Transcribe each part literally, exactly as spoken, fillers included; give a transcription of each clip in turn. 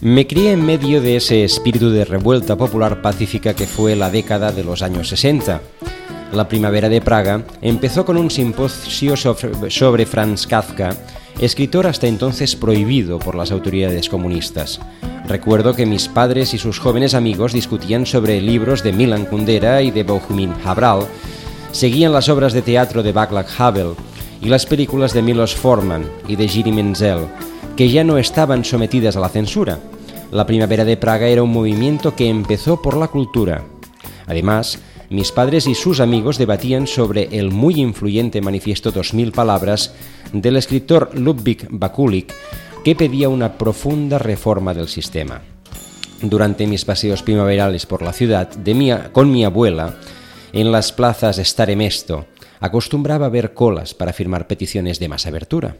Me crié en medio de ese espíritu de revuelta popular pacífica que fue la década de los años sesenta. La primavera de Praga empezó con un simposio sobre Franz Kafka, escritor hasta entonces prohibido por las autoridades comunistas. Recuerdo que mis padres y sus jóvenes amigos discutían sobre libros de Milan Kundera y de Bohumil Hrabal, seguían las obras de teatro de Václav Havel y las películas de Milos Forman y de Jiří Menzel, que ya no estaban sometidas a la censura. La primavera de Praga era un movimiento que empezó por la cultura. Además, mis padres y sus amigos debatían sobre el muy influyente manifiesto Dos Mil Palabras del escritor Ludwig Bakulik, que pedía una profunda reforma del sistema. Durante mis paseos primaverales por la ciudad, de mi, con mi abuela, en las plazas Stare Mesto, acostumbraba a ver colas para firmar peticiones de más abertura.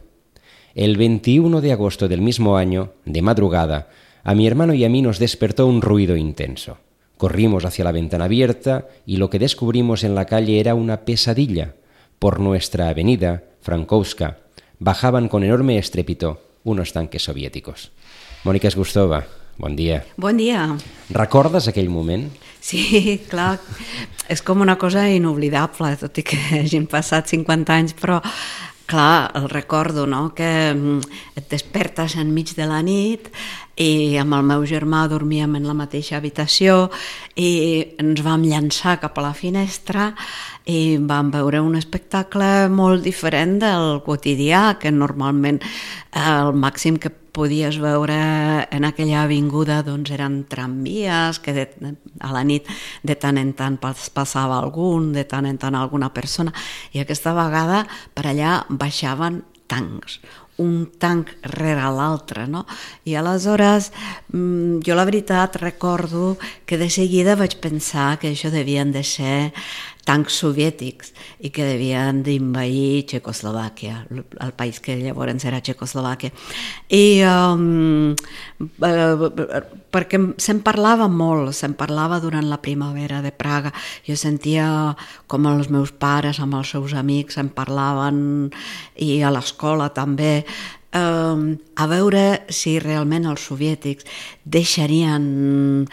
El veintiuno de agosto del mismo año, de madrugada, a mi hermano y a mí nos despertó un ruido intenso. Corrimos hacia la ventana abierta y lo que descubrimos en la calle era una pesadilla. Por nuestra avenida, Frankowska, bajaban con enorme estrépito unos tanques sovièticos. Mònica Esgustova, bon dia. Bon dia. Recordes aquell moment? Sí, clar, és com una cosa inoblidable, tot i que hagin passat cinquanta anys, però clar, el recordo, no?, que et despertes enmig de la nit i amb el meu germà dormíem en la mateixa habitació i ens vam llançar cap a la finestra i vam veure un espectacle molt diferent del quotidià, que normalment el màxim que podies veure en aquella avinguda doncs eren tramvies, que de, a la nit de tant en tant passava algun, de tant en tant alguna persona, i aquesta vegada per allà baixaven tancs, un tanc rere l'altre, no? I aleshores jo la veritat recordo que de seguida vaig pensar que això devien de ser tancs soviètics i que devien d'invair Txecoslovàquia, el país que llavors era Txecoslovàquia. I um, perquè se'n parlava molt, se'n parlava durant la primavera de Praga. Jo sentia com els meus pares amb els seus amics se'n parlaven i a l'escola també, um, a veure si realment els soviètics deixarien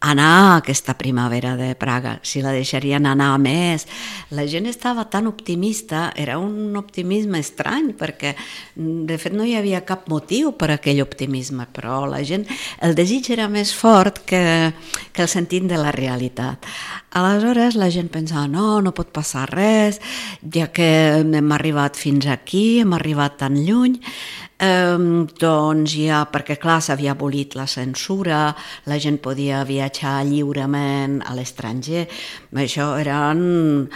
anar a aquesta primavera de Praga, si la deixarien anar més. La gent estava tan optimista, era un optimisme estrany, perquè de fet no hi havia cap motiu per a aquell optimisme, però la gent, el desig era més fort que, que el sentit de la realitat. Aleshores la gent pensava, no, no pot passar res, ja que hem arribat fins aquí, hem arribat tan lluny, Eh, doncs ja, perquè clar, s'havia abolit la censura, la gent podia viatjar lliurement a l'estranger, això era un,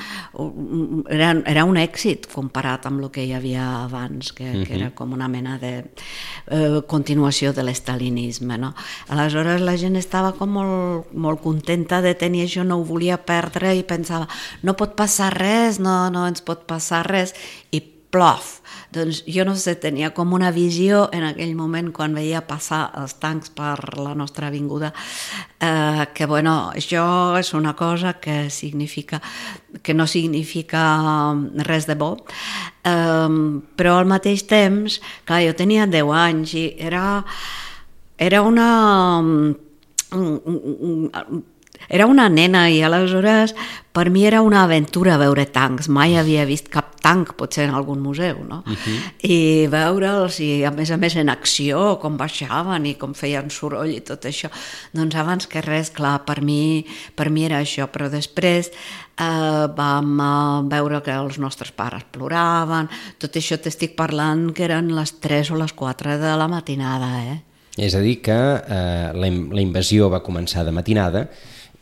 era, era un èxit comparat amb el que hi havia abans, que, uh-huh. que era com una mena de eh, continuació de l'estalinisme, no? Aleshores la gent estava com molt, molt contenta de tenir això, no ho volia perdre i pensava, no pot passar res, no, no ens pot passar res, i plof. Doncs jo no sé, tenia com una visió en aquell moment quan veia passar els tancs per la nostra avinguda, eh, que bueno, això és una cosa que significa, que no significa res de bo, eh, però al mateix temps, clar, jo tenia deu anys i era, era una... Era una nena i aleshores per mi era una aventura veure tancs. Mai havia vist cap tanc, potser en algun museu, no? Uh-huh. I veure'ls, i a més a més en acció, com baixaven i com feien soroll i tot això. Doncs abans que res, clar, per mi, per mi era això, però després eh, vam veure que els nostres pares ploraven, tot això t'estic parlant que eren les tres o les quatre de la matinada, eh? És a dir que eh, la, la invasió va començar de matinada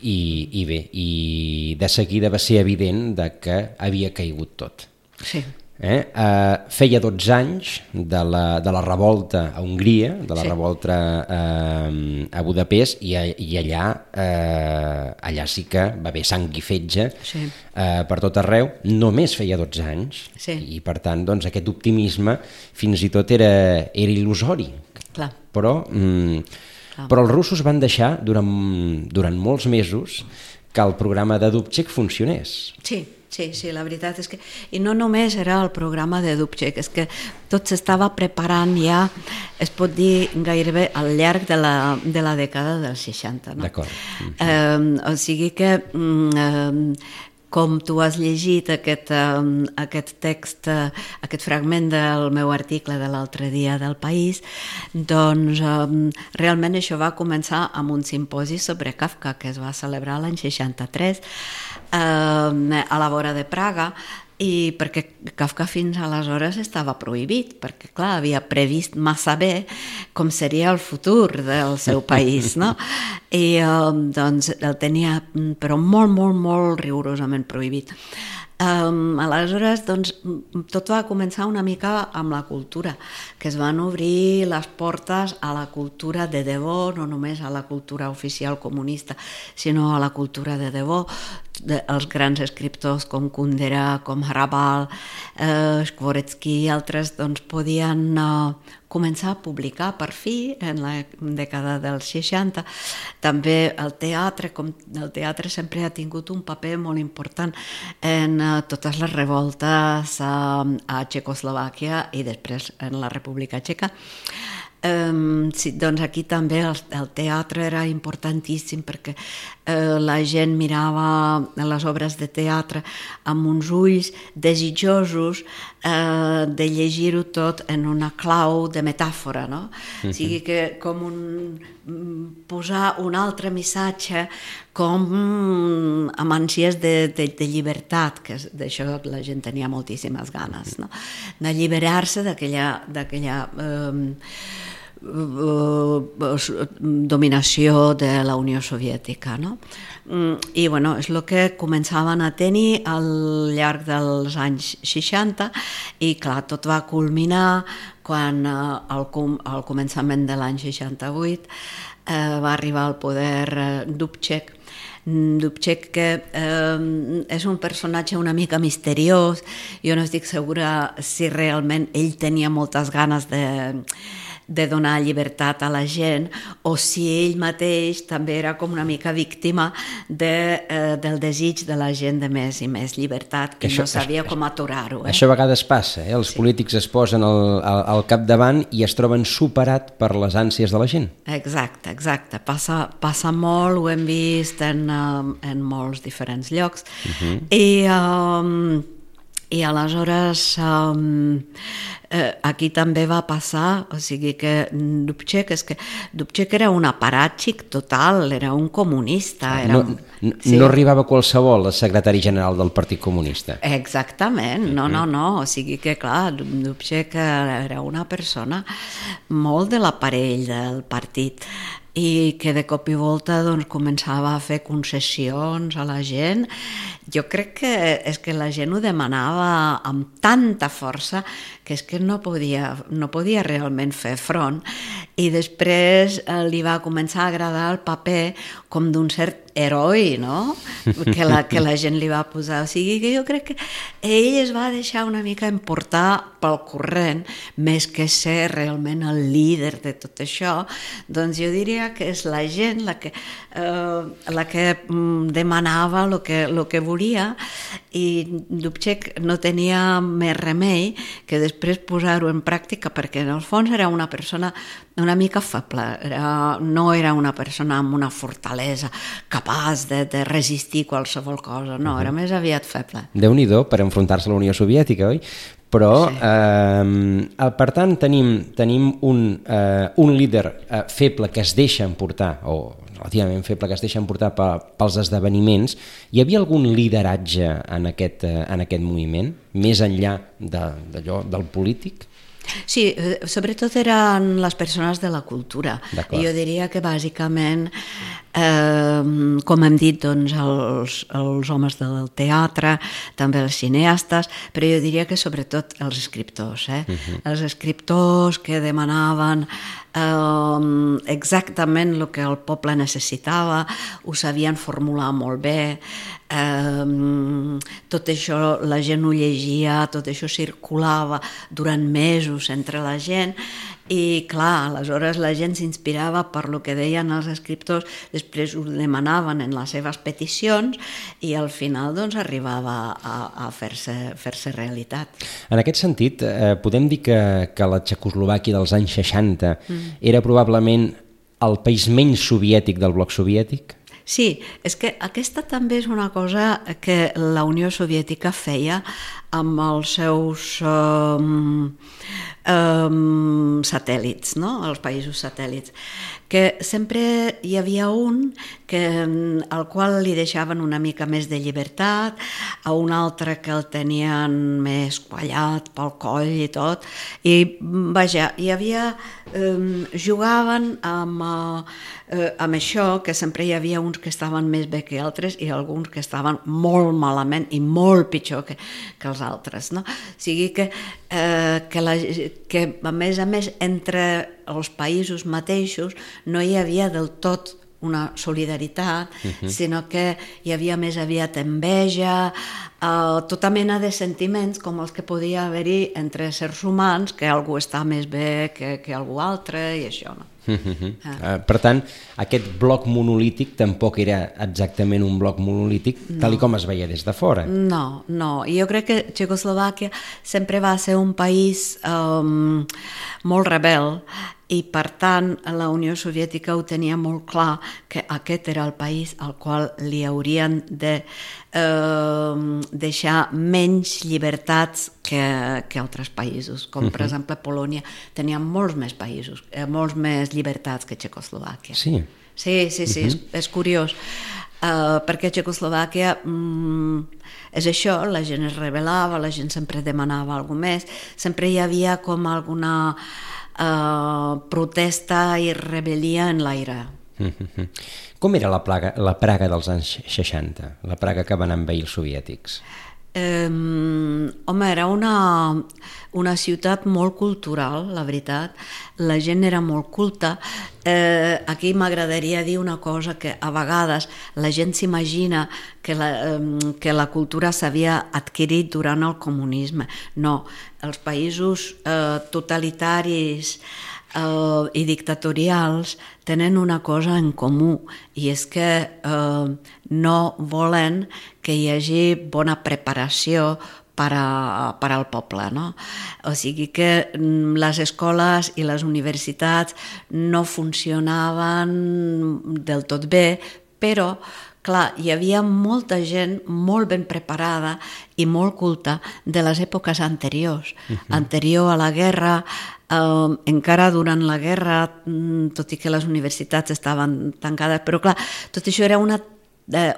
i, i bé, i de seguida va ser evident de que havia caigut tot. Sí. Eh? Eh, feia dotze anys de la, de la revolta a Hongria, de la sí. revolta eh, a Budapest, i, i allà, eh, allà sí que va haver sang i fetge sí. eh, per tot arreu. Només feia dotze anys, sí. i per tant doncs, aquest optimisme fins i tot era, era il·lusori. Clar. Però, mm, però els russos van deixar durant, durant molts mesos que el programa de Dubček funcionés. Sí. Sí, sí, la veritat és que... I no només era el programa de Dubček, és que tot s'estava preparant ja, es pot dir gairebé al llarg de la, de la dècada dels seixanta. No? D'acord. Eh, o sigui que, eh, com tu has llegit aquest, eh, aquest text, eh, aquest fragment del meu article de l'altre dia del País, doncs eh, realment això va començar amb un simposi sobre Kafka que es va celebrar l'any seixanta-tres eh, a la vora de Praga, i perquè Kafka fins aleshores estava prohibit, perquè clar, havia previst massa bé com seria el futur del seu país, no? I eh, doncs el tenia però molt, molt, molt rigorosament prohibit. Um, aleshores, doncs, tot va començar una mica amb la cultura, que es van obrir les portes a la cultura de debò, no només a la cultura oficial comunista, sinó a la cultura de debò. De, els grans escriptors com Kundera, com Hrabal, eh, Skvoretsky i altres doncs, podien eh, començar a publicar per fi en la dècada dels seixanta. També el teatre, com el teatre sempre ha tingut un paper molt important en eh, totes les revoltes eh, a Txecoslovàquia i després en la República Txeca. Um, sí, doncs aquí també el, el teatre era importantíssim perquè eh, la gent mirava les obres de teatre amb uns ulls desitjosos eh, de llegir-ho tot en una clau de metàfora, no? Uh-huh. O sigui que com un, posar un altre missatge com mm, amb ànsies de, de, de llibertat, que d'això la gent tenia moltíssimes ganes, no? D'alliberar-se d'aquella d'aquella eh, dominació de la Unió Soviètica, no? I bueno, és el que començaven a tenir al llarg dels anys seixanta i clar, tot va culminar quan al, al començament de l'any seixanta-vuit eh, va arribar al poder eh, Dubček. Dubček, que eh, és un personatge una mica misteriós, jo no estic segura si realment ell tenia moltes ganes de de donar llibertat a la gent o si ell mateix també era com una mica víctima de, eh, del desig de la gent de més i més llibertat, que això, no sabia això, com aturar-ho. Eh? Això a vegades passa, eh? Els sí. polítics es posen al, al, al capdavant i es troben superat per les ànsies de la gent. Exacte, exacte. Passa, passa molt, ho hem vist en, en molts diferents llocs. Uh-huh. I... Um, I aleshores um, eh, aquí també va passar, o sigui que Dubček, és que Dubček era un aparàtxic total, era un comunista. Era no, un, no, sí. no arribava qualsevol a secretari general del Partit Comunista. Exactament, no, no, no, o sigui que clar, Dubček era una persona molt de l'aparell del partit i que de cop i volta doncs, començava a fer concessions a la gent. Jo crec que és que la gent ho demanava amb tanta força que és que no podia, no podia realment fer front, i després eh, li va començar a agradar el paper com d'un cert heroi, no? Que la, que la gent li va posar. O sigui que jo crec que ell es va deixar una mica emportar pel corrent, més que ser realment el líder de tot això. Doncs jo diria que és la gent la que, eh, la que demanava el que, lo que volia, i Dubček no tenia més remei que després posar-ho en pràctica, perquè en el fons era una persona una mica feble, era, no era una persona amb una fortalesa capaç de, de resistir qualsevol cosa, no, era més aviat feble. Déu-n'hi-do per enfrontar-se a la Unió Soviètica, oi? Però, sí. eh, per tant, tenim, tenim un, eh, un líder eh, feble que es deixa emportar, o relativament feble que es deixa emportar pels esdeveniments. Hi havia algun lideratge en aquest, eh, en aquest moviment, més enllà de, d'allò, del polític? Sí, sobretot eren les persones de la cultura. Jo diria que bàsicament, eh, com hem dit, doncs, els, els homes del teatre, també els cineastes, però jo diria que sobretot els escriptors, eh? Uh-huh. Els escriptors que demanaven eh, exactament el que el poble necessitava, ho sabien formular molt bé, eh, tot això la gent ho llegia, tot això circulava durant mesos entre la gent, I clar, aleshores la gent s'inspirava per lo que deien els escriptors, després ho demanaven en les seves peticions i al final doncs arribava a, a fer-se fer-se realitat. En aquest sentit, eh, podem dir que, que la Txecoslovàquia dels anys seixanta mm. era probablement el país menys soviètic del bloc soviètic? Sí, és que aquesta també és una cosa que la Unió Soviètica feia amb els seus um, um, satèl·lits, no? Els països satèl·lits, que sempre hi havia un que, al qual li deixaven una mica més de llibertat, a un altre que el tenien més quallat pel coll i tot, i vaja, hi havia, um, jugaven amb, uh, amb això, que sempre hi havia uns que estaven més bé que altres i alguns que estaven molt malament i molt pitjor que, que els altres, no? O sigui que, eh, que, la, que a més a més entre els països mateixos no hi havia del tot una solidaritat, uh-huh. sinó que hi havia més aviat enveja, eh, tota mena de sentiments com els que podia haver-hi entre éssers humans, que algú està més bé que, que algú altre i això, no? Uh-huh. Ah. Per tant, aquest bloc monolític tampoc era exactament un bloc monolític no. tal com es veia des de fora. No, no. Jo crec que Txecoslovàquia sempre va ser un país um, molt rebel i per tant la Unió Soviètica ho tenia molt clar que aquest era el país al qual li haurien de eh, deixar menys llibertats que, que altres països, com per uh-huh. exemple Polònia tenia molts més països, eh, molts més llibertats que Txecoslovàquia. Sí? Sí, sí, sí, uh-huh. és, és curiós. Uh, perquè Txecoslovàquia mm, és això, la gent es rebel·lava, la gent sempre demanava alguna més, sempre hi havia com alguna uh, protesta i rebel·lia en l'aire. Uh-huh. Com era la, plaga, la Praga dels anys seixanta, la Praga que van envair els soviètics? Um, home, era una, una ciutat molt cultural, la veritat. La gent era molt culta. Eh, aquí m'agradaria dir una cosa, que a vegades la gent s'imagina que la, eh, que la cultura s'havia adquirit durant el comunisme. No, els països eh, totalitaris Uh, i dictatorials tenen una cosa en comú i és que uh, no volen que hi hagi bona preparació per, a, per al poble, no? O sigui que mm, les escoles i les universitats no funcionaven del tot bé, però clar, hi havia molta gent molt ben preparada i molt culta de les èpoques anteriors. Uh-huh. Anterior a la guerra, eh, encara durant la guerra, tot i que les universitats estaven tancades, però clar, tot això era una,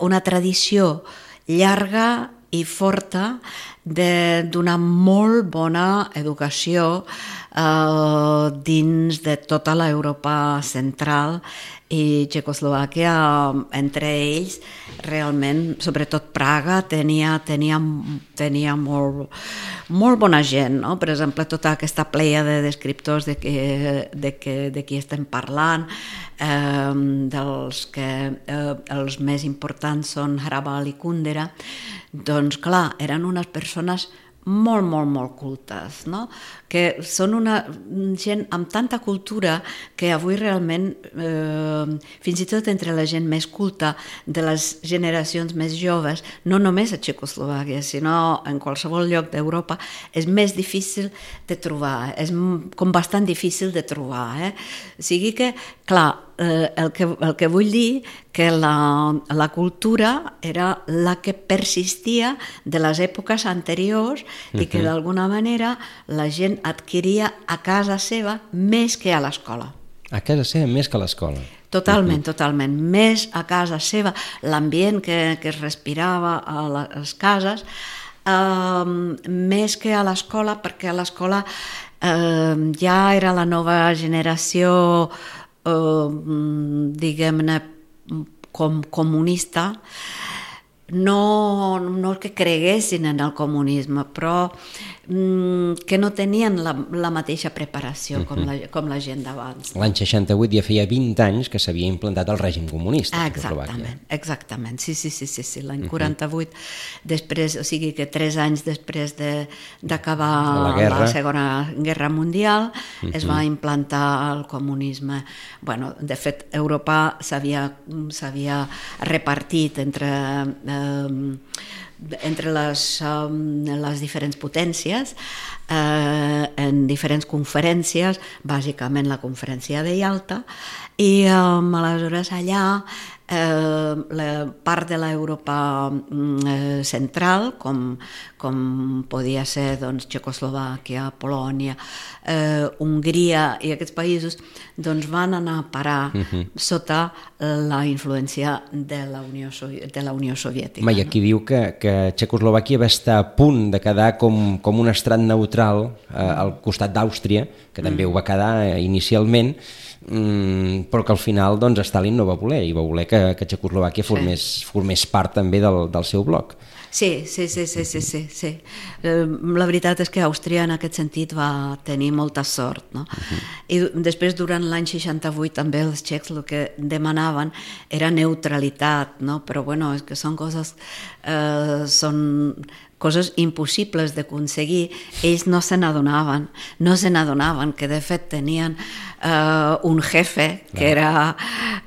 una tradició llarga i forta de donar molt bona educació eh, dins de tota l'Europa central i Txecoslovàquia, entre ells, realment, sobretot Praga, tenia, tenia, tenia molt, molt bona gent, no? Per exemple, tota aquesta plèiade d'escriptors de, que, de, que, de qui estem parlant, eh, dels que eh, els més importants són Hrabal i Kundera, doncs clar, eren unes persones molt, molt, molt cultes, no? Que són una gent amb tanta cultura que avui realment, eh, fins i tot entre la gent més culta de les generacions més joves, no només a Txecoslovàquia, sinó en qualsevol lloc d'Europa, és més difícil de trobar, és com bastant difícil de trobar. Eh? O sigui que, clar, eh, el, que, el que vull dir que la, la cultura era la que persistia de les èpoques anteriors uh-huh. i que d'alguna manera la gent adquiria a casa seva més que a l'escola. A casa seva més que a l'escola? Totalment, uh-huh. totalment. Més a casa seva, l'ambient que, que es respirava a les cases, eh, més que a l'escola, perquè a l'escola eh, ja era la nova generació, eh, diguem-ne, com comunista, no, no que creguessin en el comunisme, però mm, que no tenien la, la mateixa preparació com, la, com la gent d'abans. L'any seixanta-vuit ja feia vint anys que s'havia implantat el règim comunista a Exactament, exactament, sí, sí, sí, sí, sí. L'any quaranta-vuit, després, o sigui que tres anys després de, d'acabar la, guerra. la Segona Guerra Mundial, uh-huh. es va implantar el comunisme. Bueno, de fet, Europa s'havia, s'havia repartit entre... Eh, entre les, um, les diferents potències eh, en diferents conferències, bàsicament la conferència de Ialta, i um, aleshores allà eh, la part de l'Europa eh, central, com, com podia ser doncs, Txecoslovàquia, Polònia, eh, Hongria i aquests països, doncs van anar a parar uh-huh. sota la influència de la Unió, de la Unió Soviètica. Mai, aquí no? Diu que, que Txecoslovàquia va estar a punt de quedar com, com un estrat neutral eh, al costat d'Àustria, que també mm. ho va quedar eh, inicialment, mm, però que al final doncs, Stalin no va voler, i va voler que, que Txecoslovàquia formés, sí. formés part també del, del seu bloc. Sí, sí, sí, sí, sí, sí, sí. La veritat és que Àustria en aquest sentit va tenir molta sort, no? Uh-huh. I després, durant l'any seixanta-vuit, també els txecs el que demanaven era neutralitat, no? Però bueno, és que són coses, eh, són coses impossibles d'aconseguir. Ells no se n'adonaven, no se n'adonaven que de fet tenien eh, un jefe que era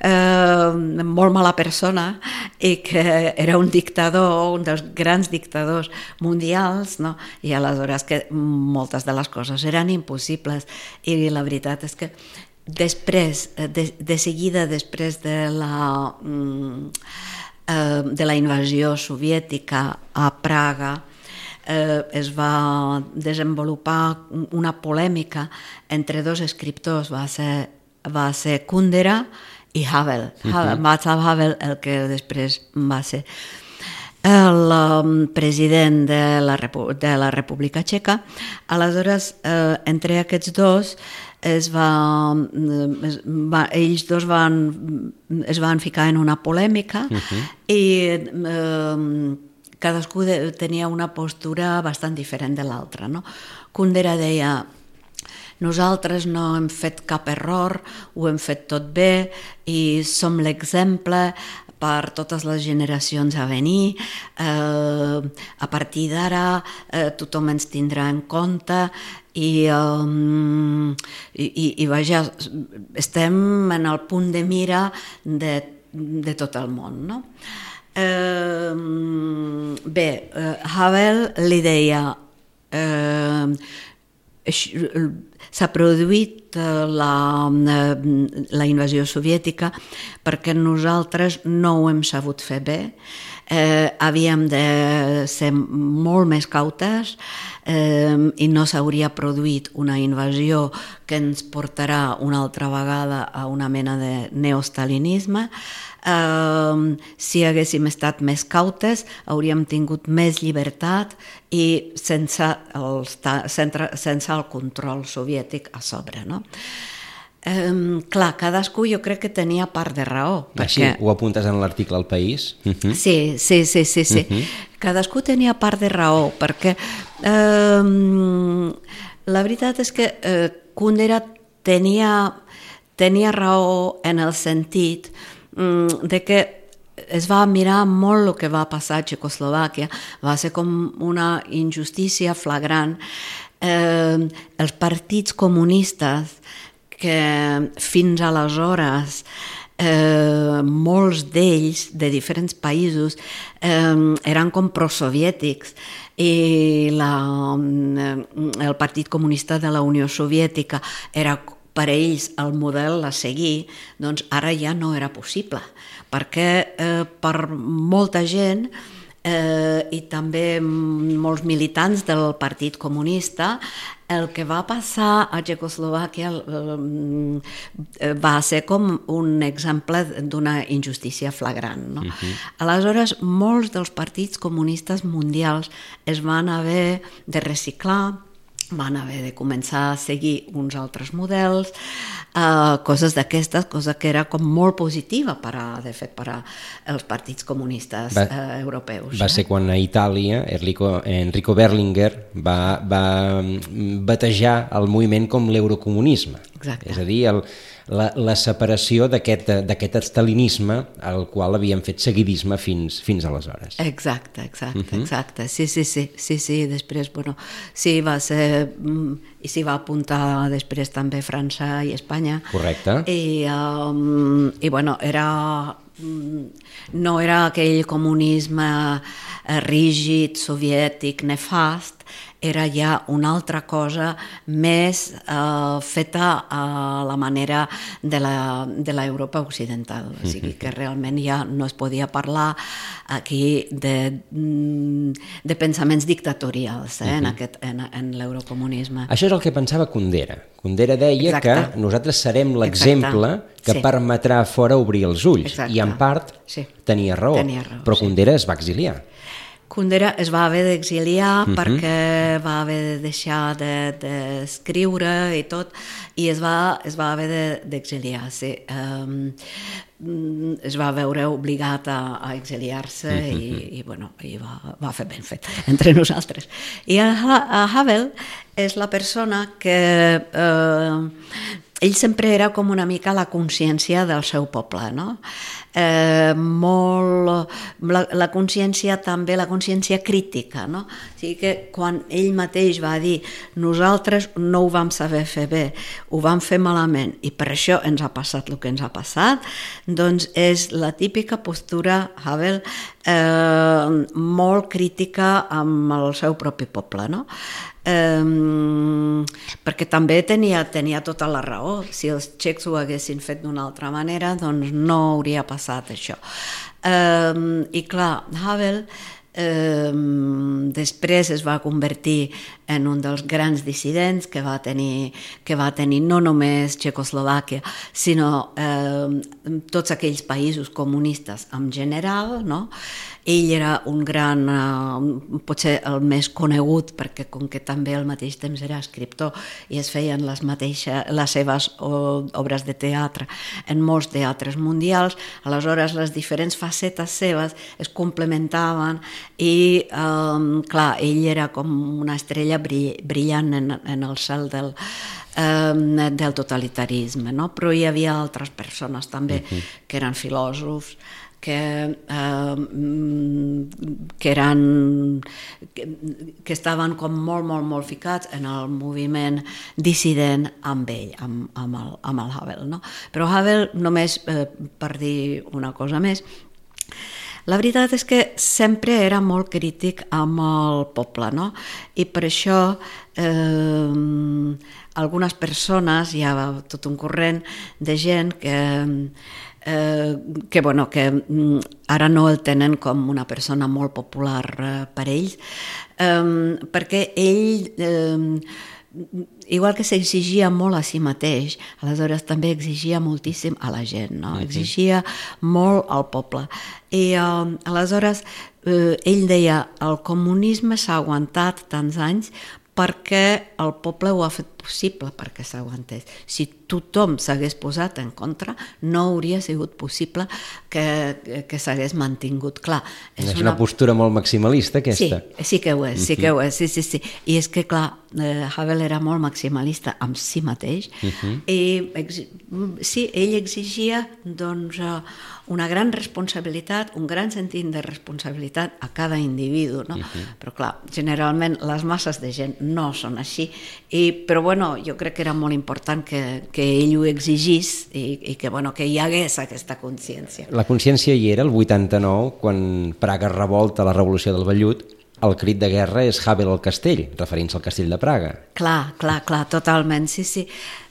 eh, molt mala persona i que era un dictador, un dels grans dictadors mundials, no? I aleshores que moltes de les coses eren impossibles, i la veritat és que després, de, de seguida després de la... Mm, de la invasió soviètica a Praga, eh, es va desenvolupar una polèmica entre dos escriptors, va ser, va ser Kundera i Havel. Uh-huh. Václav Havel, el que després va ser el um, president de la, Repu- de la República Txeca. Aleshores, eh, entre aquests dos es va, es va, ells dos van, es van ficar en una polèmica uh-huh. i eh, cadascú de, tenia una postura bastant diferent de l'altra, no? Kundera deia: nosaltres no hem fet cap error, ho hem fet tot bé i som l'exemple per totes les generacions a venir, eh, a partir d'ara eh, tothom ens tindrà en compte i, um, i, i, i vaja, estem en el punt de mira de, de tot el món, no? Eh, bé, eh, Havel li deia eh, s'ha produït la, la invasió soviètica perquè nosaltres no ho hem sabut fer bé, eh, havíem de ser molt més cautes eh, i no s'hauria produït una invasió que ens portarà una altra vegada a una mena de neostalinisme. Uh, si haguéssim estat més cautes hauríem tingut més llibertat i sense el, sense, sense el control soviètic a sobre, no? Um, clar, cadascú jo crec que tenia part de raó perquè... Sí, ho apuntes en l'article al País. Uh-huh. Sí, sí, sí, sí, sí. Uh-huh. Cadascú tenia part de raó perquè um, la veritat és que uh, Kundera tenia, tenia raó en el sentit de que es va mirar molt el que va passar a Txecoslovàquia, va ser com una injustícia flagrant. Eh, els partits comunistes que fins aleshores eh, molts d'ells de diferents països eh, eren com prosoviètics i la, el Partit Comunista de la Unió Soviètica era per a ells el model a seguir, doncs ara ja no era possible, perquè eh, per molta gent eh, i també molts militants del Partit Comunista, el que va passar a Txecoslovàquia eh, va ser com un exemple d'una injustícia flagrant, no? Uh-huh. Aleshores, molts dels partits comunistes mundials es van haver de reciclar van haver de començar a seguir uns altres models, eh, coses d'aquestes, cosa que era com molt positiva per a, de fet, per als partits comunistes va, eh, europeus. Va eh? ser quan a Itàlia Enrico, Enrico Berlinguer va, va batejar el moviment com l'eurocomunisme. Exacte. És a dir, el, la, la separació d'aquest estalinisme al qual havien fet seguidisme fins, fins aleshores. Exacte, exacte, uh-huh. exacte. Sí, sí, sí, sí, sí, després, bueno, sí, va ser, i s'hi va apuntar després també França i Espanya. Correcte. I, um, i bueno, era... no era aquell comunisme rígid, soviètic, nefast, era ja una altra cosa més eh, feta a la manera de la, de l'Europa occidental. O sigui que realment ja no es podia parlar aquí de, de pensaments dictatorials eh, en, aquest, en, en l'eurocomunisme. Això és el que pensava Kundera. Kundera deia Exacte. Que nosaltres serem l'exemple que sí. permetrà fora obrir els ulls. Exacte. I en part sí. tenia raó, tenia raó però sí. Kundera es va exiliar. Kundera es va haver d'exiliar uh-huh. perquè va haver de deixar d'escriure de, i tot, i es va, es va haver d'exiliar, de, sí. Um, es va veure obligat a, a exiliar-se uh-huh. i, i, bueno, i va, va fer ben fet entre nosaltres. I a, a Havel és la persona que... Eh, ell sempre era com una mica la consciència del seu poble, no? Eh, molt, la, la consciència també, la consciència crítica, no? O sigui que quan ell mateix va dir nosaltres no ho vam saber fer bé, ho vam fer malament i per això ens ha passat el que ens ha passat, doncs és la típica postura, Havel, eh, molt crítica amb el seu propi poble, no? Um, perquè també tenia, tenia tota la raó. Si els txecs ho haguessin fet d'una altra manera, doncs no hauria passat això. Um, I clar, Havel um, després es va convertir en un dels grans dissidents que va tenir, que va tenir no només Txecoslovàquia, sinó eh, tots aquells països comunistes en general, no? Ell era un gran, eh, potser el més conegut, perquè com que també al mateix temps era escriptor i es feien les, mateixes, les seves obres de teatre en molts teatres mundials, aleshores les diferents facetes seves es complementaven i, eh, clar, ell era com una estrella brillant en, en el cel del, eh, del totalitarisme, no? Però hi havia altres persones també uh-huh. que eren filòsofs, que, eh, que eren que, que estaven com molt, molt, molt ficats en el moviment dissident amb ell, amb, amb, el, amb el Havel, no? Però Havel, només eh, per dir una cosa més, la veritat és que sempre era molt crític amb el poble, no? I per això eh, algunes persones, hi ha tot un corrent de gent que, eh, que, bueno, que ara no el tenen com una persona molt popular eh, per ells, eh, perquè ell... Eh, igual que s'exigia molt a si mateix, aleshores també exigia moltíssim a la gent, no? Exigia molt al poble. I uh, aleshores uh, ell deia, el comunisme s'ha aguantat tants anys perquè el poble ho ha fet possible perquè s'aguantés. Si tothom s'hagués posat en contra, no hauria sigut possible que, que s'hagués mantingut. Clar, és, és una... una postura molt maximalista, aquesta. Sí, sí que ho és, sí que ho és, sí, sí, sí. I és que, clar, eh, Havel era molt maximalista amb si mateix uh-huh. i exi... sí, ell exigia, doncs, una gran responsabilitat, un gran sentit de responsabilitat a cada individu, no? Uh-huh. Però, clar, generalment les masses de gent no són així, i, però bueno, jo crec que era molt important que, que ell ho exigís i, i que, bueno, que hi hagués aquesta consciència. La consciència hi era el vuitanta-nou, quan Praga revolta la revolució del vellut, el crit de guerra és Havel al castell, referint-se al castell de Praga. Clar, clar, clar, totalment, sí, sí.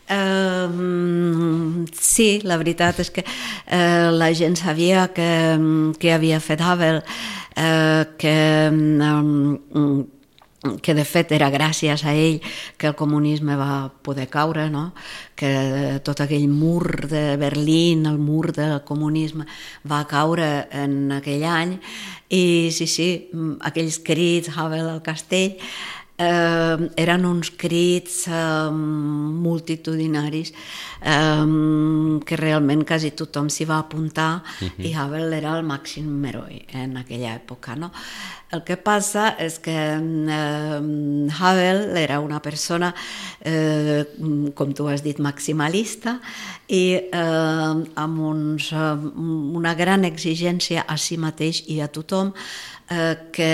Uh, sí, la veritat és que uh, la gent sabia que, que havia fet Havel, uh, que... Um, que de fet era gràcies a ell que el comunisme va poder caure, no? Que tot aquell mur de Berlín, el mur del comunisme, va caure en aquell any, i sí, sí, aquells crits, Havel al castell, eh, eren uns crits eh, multitudinaris eh, que realment quasi tothom s'hi va apuntar uh-huh. i Havel era el màxim heroi en aquella època, no? El que passa és que eh, Havel era una persona, eh, com tu has dit, maximalista i eh, amb uns, eh, una gran exigència a si mateix i a tothom, eh, que...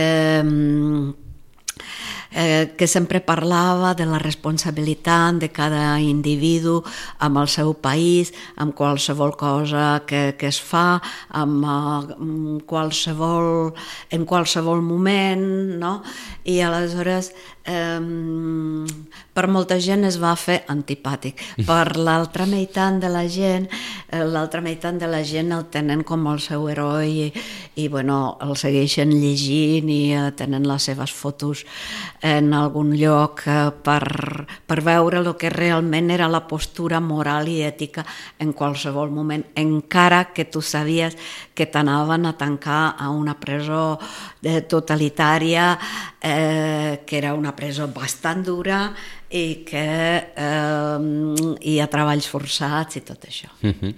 Eh, que sempre parlava de la responsabilitat de cada individu amb el seu país, amb qualsevol cosa que, que es fa, amb uh, qualsevol, en qualsevol moment, no? I aleshores eh, per molta gent es va fer antipàtic. Per l'altra meitat de la gent, eh, l'altra meitat de la gent el tenen com el seu heroi i, i bueno, el segueixen llegint i eh, tenen les seves fotos en algun lloc eh, per, per veure el que realment era la postura moral i ètica en qualsevol moment, encara que tu sabies que t'anaven a tancar a una presó eh, totalitària, eh, que era una presó bastant dura i que eh, hi ha treballs forçats i tot això. Uh-huh.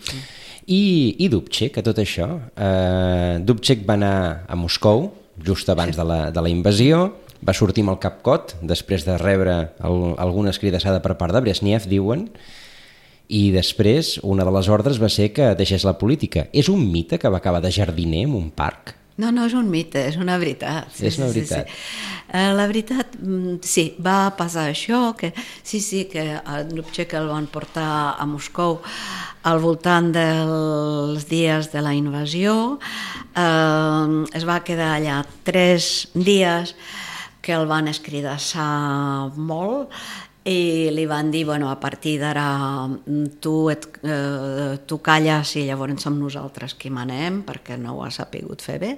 I, i Dubček, a tot això? Uh, Dubček va anar a Moscou just abans de la, de la invasió, va sortir amb el cap cot després de rebre el, alguna escridassada per part de Brezhnev, diuen, i després una de les ordres va ser que deixés la política. És un mite que va acabar de jardiner en un parc? No, no és un mite, és una veritat. Sí, és una veritat. Sí, sí. Uh, la veritat, sí, va passar això, que sí, sí, que a Dubček el van portar a Moscou al voltant dels dies de la invasió. Uh, es va quedar allà tres dies que el van escridassar molt i li van dir, bueno, a partir d'ara tu, et, eh, tu calles i llavors som nosaltres qui manem perquè no ho has sapigut fer bé.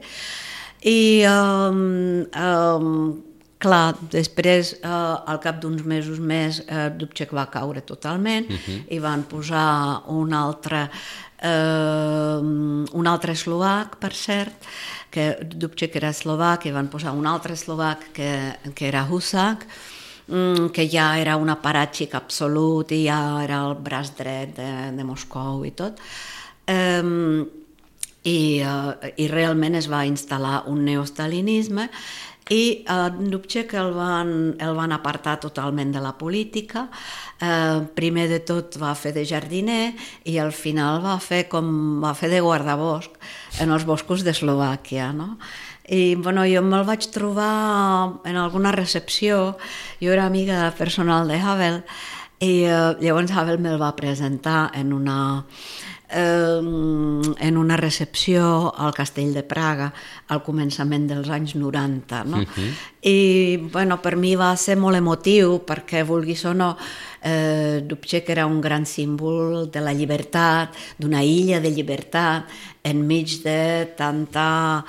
I um, um, clar, després, eh, al cap d'uns mesos més, eh, Dubček va caure totalment uh-huh. i van posar un altre, eh, un altre eslovac, per cert, que Dubček era eslovac i van posar un altre eslovac que, que era Husak, que ja era un aparatxik absolut i ja era el braç dret de, de Moscou i tot. Um, i, uh, I realment es va instal·lar un neostalinisme i uh, Dubček el van, el van apartar totalment de la política. Uh, primer de tot va fer de jardiner i al final va fer, com, va fer de guardabosc en els boscos d'Eslovàquia, no? I bueno, jo me'l vaig trobar en alguna recepció, jo era amiga personal de Havel i uh, llavors Havel me'l va presentar en una, eh, en una recepció al Castell de Praga al començament dels anys noranta, no? Uh-huh. I bueno, per mi va ser molt emotiu perquè, vulguis o no, eh, Dubček era un gran símbol de la llibertat, d'una illa de llibertat enmig de tanta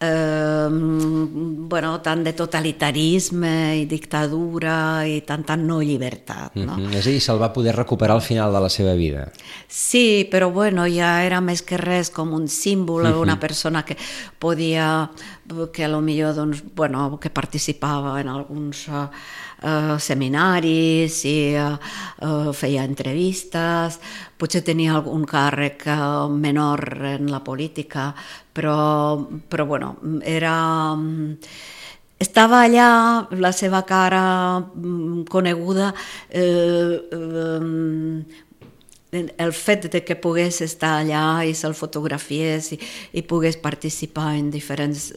Eh, bueno, tant de totalitarisme i dictadura i tanta no llibertat, no? Mm-hmm. És a dir, se'l va poder recuperar al final de la seva vida. Sí, però bueno, ja era més que res com un símbol, mm-hmm. una persona que podia, que a lo millor, doncs, bueno, que participava en alguns uh, uh, seminaris i uh, uh, feia entrevistes, potser tenia algun càrrec uh, menor en la política, però, però bueno, era... Estava allà, la seva cara coneguda, eh, eh, el fet de que pogués estar allà i se'l fotografiés i, i pogués participar en diferents,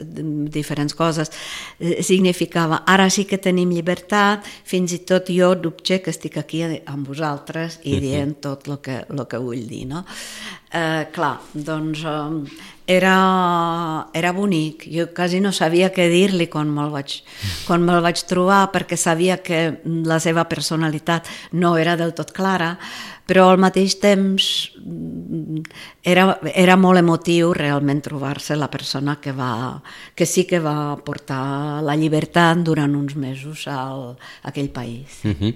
diferents coses eh, significava, ara sí que tenim llibertat, fins i tot jo, Dubček, estic aquí amb vosaltres i dient tot el que, el que vull dir, no? Eh, clar, doncs eh, era, era bonic, jo quasi no sabia què dir-li quan me'l vaig, quan me'l vaig trobar, perquè sabia que la seva personalitat no era del tot clara, però al mateix temps era, era molt emotiu realment trobar-se la persona que, va, que sí que va portar la llibertat durant uns mesos al, a aquell país. Uh-huh.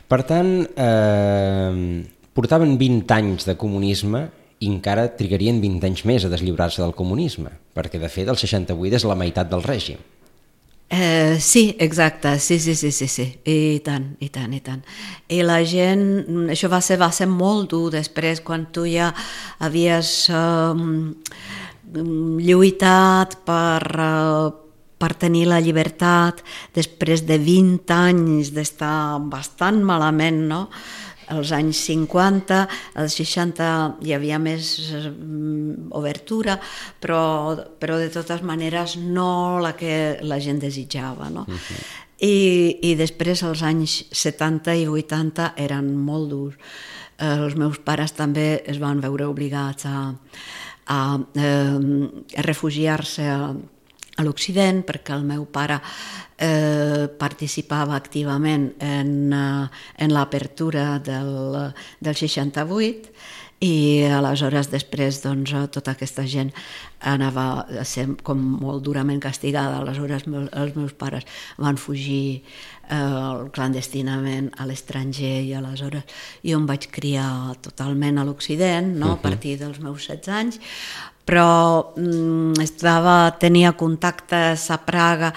Per tant, eh, portaven vint anys de comunisme i encara trigarien vint anys més a deslliurar-se del comunisme, perquè de fet el seixanta-vuit és la meitat del règim. Eh, sí, exacte, sí, sí, sí, sí, sí, i tant, i tant, i tant. I la gent, això va ser, va ser molt dur després, quan tu ja havies eh, lluitat per, eh, per tenir la llibertat, després de vint anys d'estar bastant malament, no?, als anys cinquanta, als seixanta hi havia més obertura, però, però de totes maneres no la que la gent desitjava, no? Uh-huh. I, i després els anys setanta i vuitanta eren molt durs. Eh, els meus pares també es van veure obligats a, a, eh, a refugiar-se a, a l'Occident, perquè el meu pare eh, participava activament en, en l'apertura del, del seixanta-vuit, i aleshores després doncs, tota aquesta gent anava a ser com molt durament castigada. Aleshores els meus pares van fugir eh, clandestinament a l'estranger, i aleshores jo em vaig criar totalment a l'Occident, no? Uh-huh. A partir dels meus setze anys, però mm, estava, tenia contactes a Praga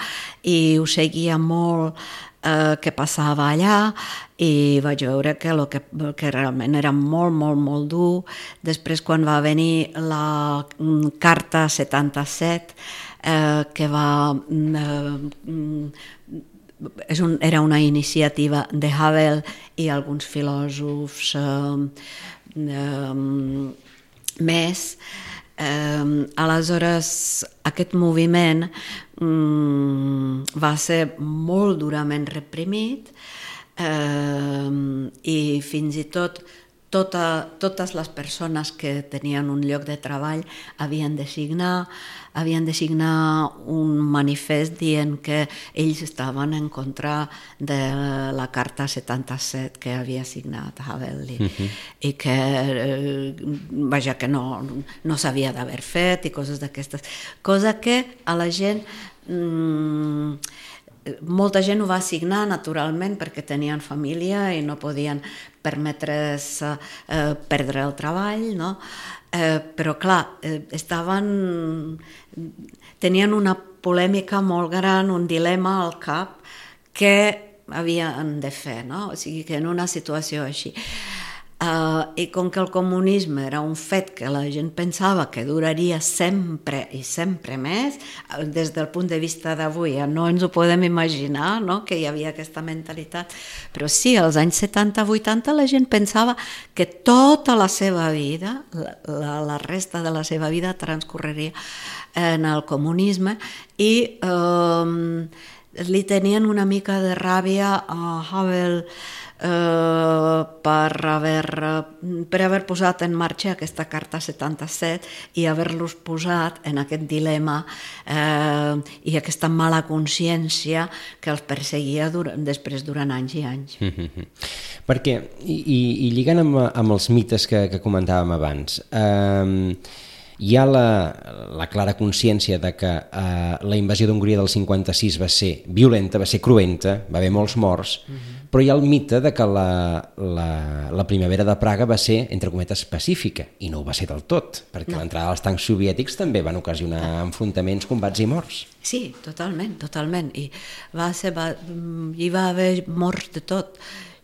i ho seguia molt eh, què passava allà, i vaig veure que, lo que, que realment era molt, molt, molt dur. Després, quan va venir la mm, Carta setanta-set, eh, que va... Mm, és un, era una iniciativa de Havel i alguns filòsofs eh, eh, més. Eh, aleshores aquest moviment mm, va ser molt durament reprimit, eh, i fins i tot tota, totes les persones que tenien un lloc de treball havien de signar havien de signar un manifest dient que ells estaven en contra de la Carta setanta-set que havia signat Havel, i, uh-huh. i que, eh, vaja, que no, no s'havia d'haver fet i coses d'aquestes. Cosa que a la gent... Mm, molta gent ho va signar naturalment perquè tenien família i no podien permetre's eh, perdre el treball, no? Eh, però clar, eh, estaven... tenien una polèmica molt gran, un dilema al cap que havien de fer, no? O sigui que en una situació així... Uh, i com que el comunisme era un fet que la gent pensava que duraria sempre i sempre més, des del punt de vista d'avui ja no ens ho podem imaginar, no?, que hi havia aquesta mentalitat, però sí, als anys setanta vuitanta la gent pensava que tota la seva vida, la, la, la resta de la seva vida transcorreria en el comunisme, i um, li tenien una mica de ràbia a Havel Uh, per, haver, per haver posat en marxa aquesta Carta setanta-set i haver-los posat en aquest dilema uh, i aquesta mala consciència que els perseguia durant, després durant anys i anys. Mm-hmm. Perquè, i, i lligant amb, amb els mites que, que comentàvem abans, eh, hi ha la, la clara consciència de que eh, la invasió d'Hongria del cinquanta-sis va ser violenta, va ser cruenta, va haver molts morts, mm-hmm. però hi ha el mite de que la, la, la primavera de Praga va ser, entre cometes, pacífica, i no ho va ser del tot, perquè no. L'entrada dels tancs soviètics també van ocasionar enfrontaments, combats i morts. Sí, totalment, totalment, i va ser, va, hi va haver morts de tot,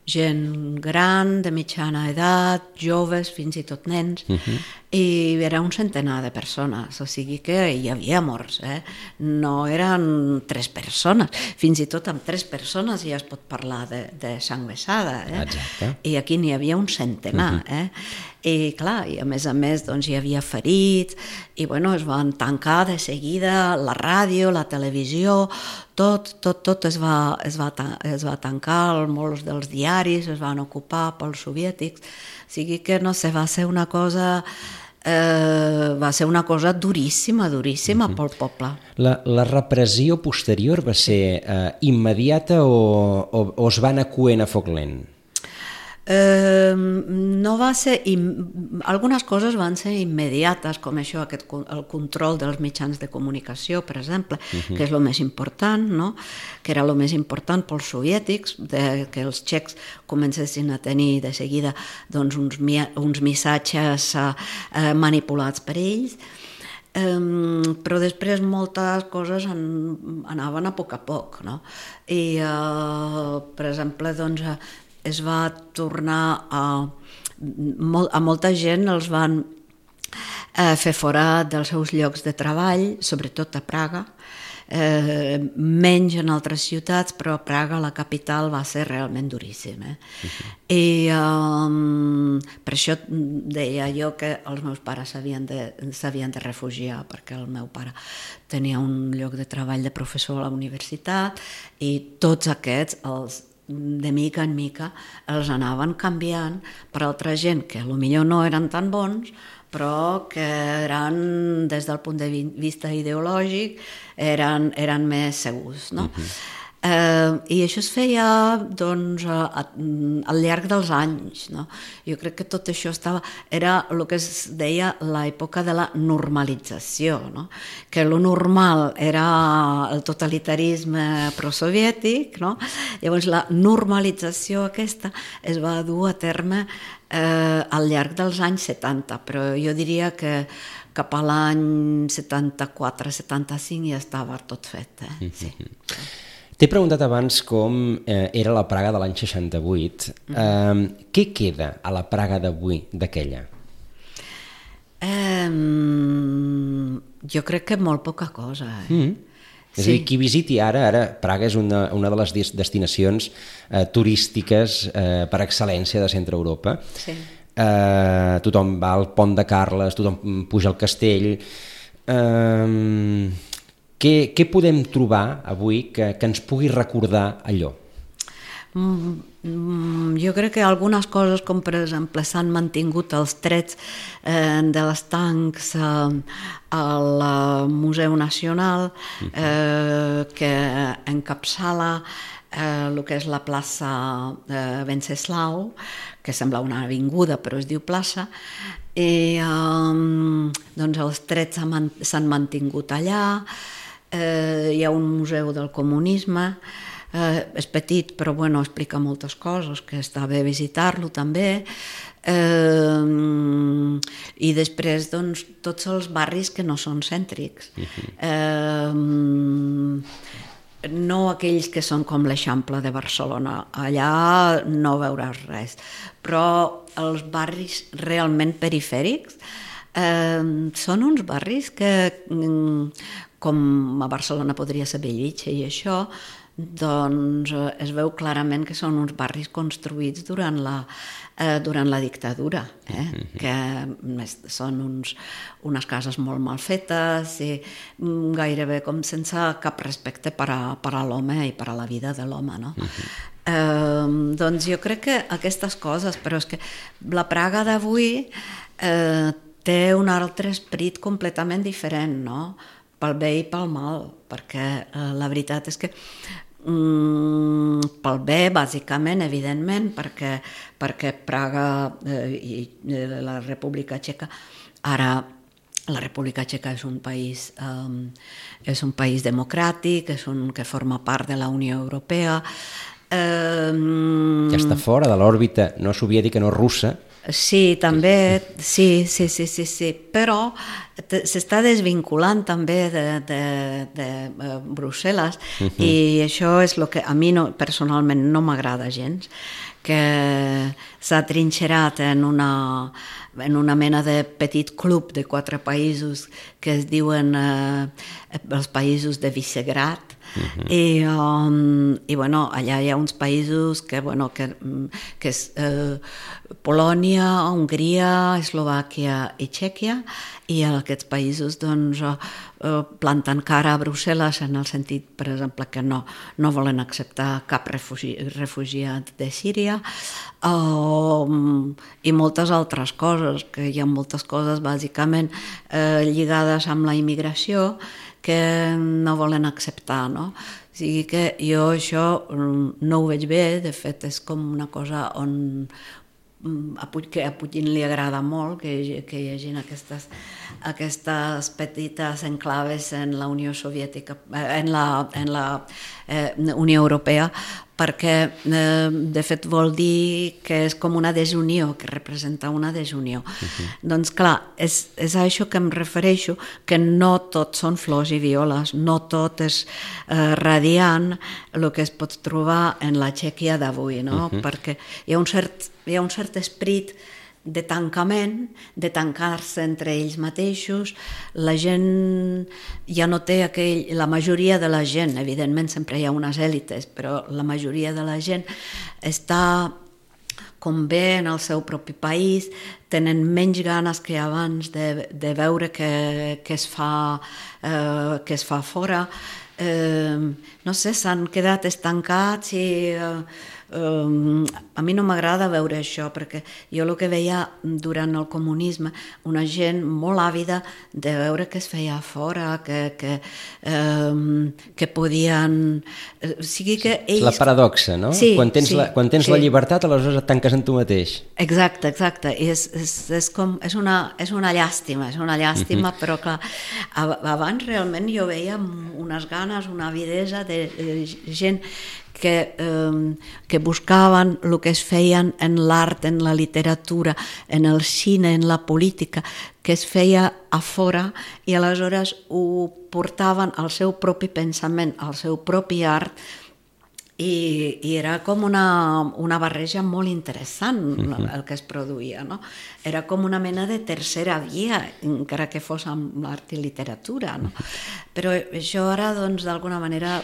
gent gran, de mitjana edat, joves, fins i tot nens, uh-huh. i era un centenar de persones, o sigui que hi havia morts, eh? No eren tres persones, fins i tot amb tres persones ja es pot parlar de, de sang vessada, eh? Exacte. I aquí n'hi havia un centenar, uh-huh. eh? I clar, i a més a més doncs, hi havia ferits, i bueno, es van tancar de seguida la ràdio, la televisió, tot, tot, tot es va, es va, es va tancar, molts dels diaris es van ocupar pels soviètics, o sigui que no sé, va ser una cosa... Eh, va ser una cosa duríssima, duríssima uh-huh. pel poble. La, la repressió posterior va ser eh, immediata o, o, o es va anar coent a foc lent? Eh, no va ser... Im... Algunes coses van ser immediates, com això, aquest, el control dels mitjans de comunicació, per exemple, uh-huh. que és el més important, no? Que era el més important pels soviètics, de, que els txecs comencessin a tenir de seguida doncs, uns, uns missatges eh, manipulats per ells. Um, però després moltes coses an, anaven a poc a poc, no? I, uh, per exemple, doncs, es va tornar a... Molt, a molta gent els van eh, fer fora dels seus llocs de treball, sobretot a Praga, eh, menys en altres ciutats, però a Praga, la capital, va ser realment duríssim. Eh? Uh-huh. I um, per això deia jo que els meus pares s'havien de, s'havien de refugiar, perquè el meu pare tenia un lloc de treball de professor a la universitat i tots aquests, els de mica en mica, els anaven canviant per altra gent que potser no eren tan bons, però que eren, des del punt de vista ideològic, eren, eren més segurs, no? Uh-huh. Eh, I això es feia doncs, a, a, al llarg dels anys, no? Jo crec que tot això estava, era el que es deia l'època de la normalització, no? Que lo normal era el totalitarisme prosoviètic, no? Llavors la normalització aquesta es va dur a terme eh, al llarg dels anys setanta, però jo diria que cap a l'any setanta-quatre setanta-cinc ja estava tot fet. Eh? Sí. T'he preguntat abans com eh, era la Praga de l'any seixanta-vuit. Eh, què queda a la Praga d'avui d'aquella? Eh, jo crec que molt poca cosa. Eh? Mm. És sí. a dir, qui visiti ara, ara Praga és una, una de les destinacions eh, turístiques eh, per excel·lència de Centre Europa. Sí. Eh, tothom va al Pont de Carles, tothom puja al castell... Eh, Què, què podem trobar avui que, que ens pugui recordar allò? Mm, jo crec que algunes coses, com per exemple s'han mantingut els trets eh, de les tancs eh, al Museu Nacional, eh, que encapçala eh, el que és la plaça eh, Venceslau, que sembla una avinguda però es diu plaça, i eh, doncs els trets s'han mantingut allà. Eh, hi ha un museu del comunisme, eh, és petit però bueno, explica moltes coses, que està bé visitar-lo també, eh, i després doncs, tots els barris que no són cèntrics, eh, no aquells que són com l'Eixample de Barcelona, allà no veuràs res, però els barris realment perifèrics eh, són uns barris que, com a Barcelona podria ser Bellvitge i això, doncs es veu clarament que són uns barris construïts durant la, eh, durant la dictadura, eh? Que són uns, unes cases molt mal fetes i gairebé com sense cap respecte per a, per a l'home i per a la vida de l'home, no? Eh, doncs jo crec que aquestes coses, però és que la Praga d'avui eh, té un altre esperit completament diferent, no? Pel bé i pel mal, perquè eh, la veritat és que mm, pel bé, bàsicament, evidentment, perquè, perquè Praga eh, i eh, la República Txeca, ara la República Txeca és un país, eh, és un país democràtic, és un que forma part de la Unió Europea. Eh, que està fora de l'òrbita no soviètica, no russa. Sí, també, sí, sí, sí, sí, sí. Però s'està desvinculant també de, de, de Brussel·les uh-huh. i això és el que a mi no, personalment no m'agrada gens, que s'ha trinxerat en una, en una mena de petit club de quatre països que es diuen eh, els països de Visegrad. Uh-huh. I, um, i bueno, allà hi ha uns països que, bueno, que, que és eh, Polònia, Hongria, Eslovàquia i Txèquia, i aquests països doncs, eh, planten cara a Brussel·les en el sentit, per exemple, que no, no volen acceptar cap refugi, refugiat de Síria, um, i moltes altres coses, que hi ha moltes coses bàsicament eh, lligades amb la immigració que no volen acceptar, no? O sigui que jo això no ho veig bé, de fet és com una cosa on a Putin li agrada molt que, que hi hagi aquestes, aquestes petites enclaves en la Unió Soviètica, en la, en la eh, Unió Europea, perquè eh, de fet vol dir que és com una desunió, que representa una desunió. Uh-huh. Doncs clar, és, és a això que em refereixo, que no tot són flors i violes, no tot és eh, radiant el que es pot trobar en la Txèquia d'avui, no? Uh-huh. Perquè hi ha un cert, hi ha un cert esperit de tancament, de tancar-se entre ells mateixos. La gent ja no té aquell... La majoria de la gent, evidentment sempre hi ha unes èlites, però la majoria de la gent està com bé en el seu propi país, tenen menys ganes que abans de, de veure què, què es fa, eh, què es fa fora. Eh, no sé, s'han quedat estancats i... Eh, Um, a mi no m'agrada veure això, perquè jo el que veia durant el comunisme, una gent molt àvida de veure què es feia fora, que, que, um, que podien... O sigui que ells... La paradoxa, no? Sí, quan tens, sí, la, quan tens sí. la llibertat, aleshores et tanques en tu mateix. Exacte, exacte. I és, és, és, com, és, una, és una llàstima, és una llàstima, uh-huh. però clar, abans realment jo veia unes ganes, una avidesa de, de gent que, eh, que buscaven el que es feien en l'art, en la literatura, en el cine, en la política, que es feia a fora i aleshores ho portaven al seu propi pensament, al seu propi art, i, i era com una, una barreja molt interessant uh-huh. el que es produïa, no? Era com una mena de tercera via, encara que fos amb l'art i literatura, no? Però això ara, doncs, d'alguna manera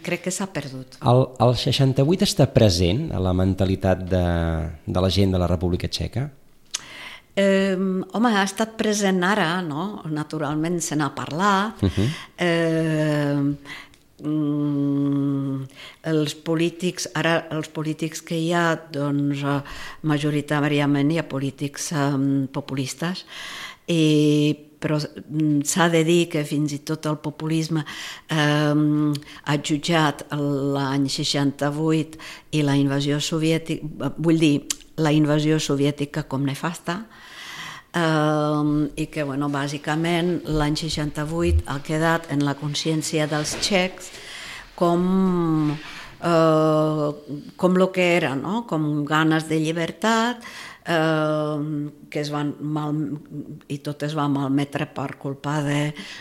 crec que s'ha perdut. El, el seixanta-vuit està present a la mentalitat de, de la gent de la República Txeca? Eh, home, ha estat present ara, no? Naturalment se n'ha parlat. Uh-huh. Eh, Mm, els polítics, ara els polítics que hi ha, doncs majoritàriament hi ha polítics um, populistes, i, però s'ha de dir que fins i tot el populisme um, ha jutjat l'any seixanta-vuit i la invasió soviètica, vull dir, la invasió soviètica com nefasta, Uh, i que, bueno, bàsicament l'any seixanta-vuit ha quedat en la consciència dels txecs com, uh, com el que era, no? Com ganes de llibertat, uh, que es van mal, i tot es va malmetre per culpa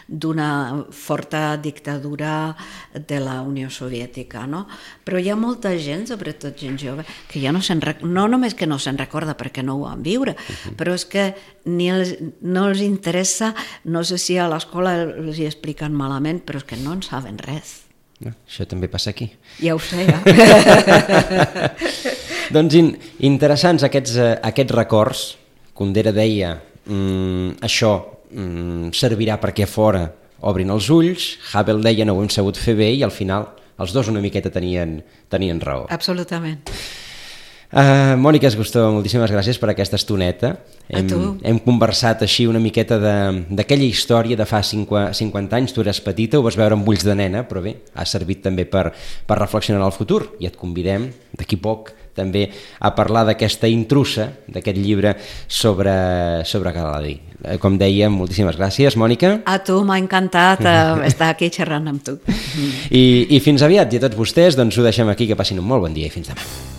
d'una forta dictadura de la Unió Soviètica, no? Però hi ha molta gent, sobretot gent jove, que ja no se'n rec... no només que no se'n recorda perquè no ho van viure, uh-huh. però és que ni els, no els interessa, no sé si a l'escola els hi expliquen malament, però és que no en saben res. No, això també passa aquí. Ja ho sé, ja. Doncs in, interessants aquests, uh, aquests records. Kundera deia, mm, això mm, servirà perquè a fora obrin els ulls. Havel deia, no ho hem sabut fer bé, i al final els dos una miqueta tenien, tenien raó. Absolutament. Uh, Mònica Esgustó, moltíssimes gràcies per aquesta estoneta. Hem, hem conversat així una miqueta d'aquella història de fa cinquanta anys. Tu eres petita, ho vas veure amb ulls de nena, però bé, ha servit també per, per reflexionar en el futur, i et convidem d'aquí poc també a parlar d'aquesta intrusa, d'aquest llibre sobre, sobre Galadí. Com dèiem, moltíssimes gràcies, Mònica. A tu, m'ha encantat uh, estar aquí xerrant amb tu. I, I fins aviat, i a tots vostès, doncs ho deixem aquí, que passin un molt bon dia i fins demà.